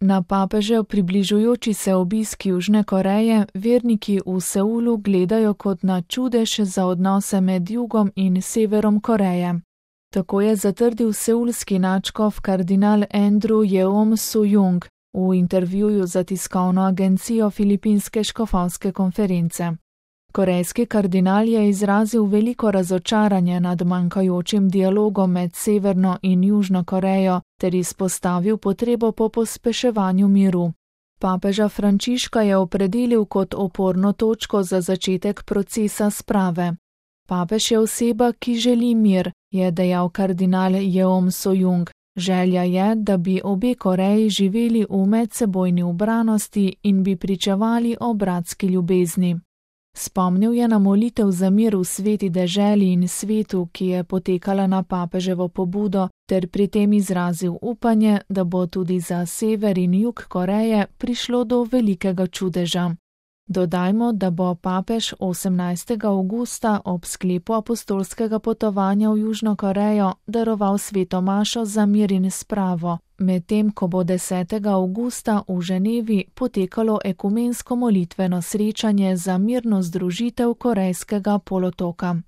Na papežev približujoči se obisk Južne Koreje verniki v Seulu gledajo kot na čudež za odnose med jugom in severom Koreje. Tako je zatrdil seulski nadškof kardinal Andrew Yeom Soo-jung v intervjuju za tiskovno agencijo Filipinske škofovske konference. Korejski kardinal je izrazil veliko razočaranje nad manjkajočim dialogom med Severno in Južno Korejo ter izpostavil potrebo po pospeševanju miru. Papeža Frančiška je opredelil kot oporno točko za začetek procesa sprave. Papež je oseba, ki želi mir, je dejal kardinal Yeom Soo-jung. Želja je, da bi obe Koreji živeli v medsebojni ubranosti in bi pričevali o bratski ljubezni. Spomnil je na molitev za mir v sveti deželi in svetu, ki je potekala na papeževo pobudo, ter pri tem izrazil upanje, da bo tudi za sever in jug Koreje prišlo do velikega čudeža. Dodajmo, da bo papež 18. avgusta ob sklepu apostolskega potovanja v Južno Korejo daroval sveto mašo za mir in spravo, medtem ko bo 10. avgusta v Ženevi potekalo ekumensko molitveno srečanje za mirno združitev Korejskega polotoka.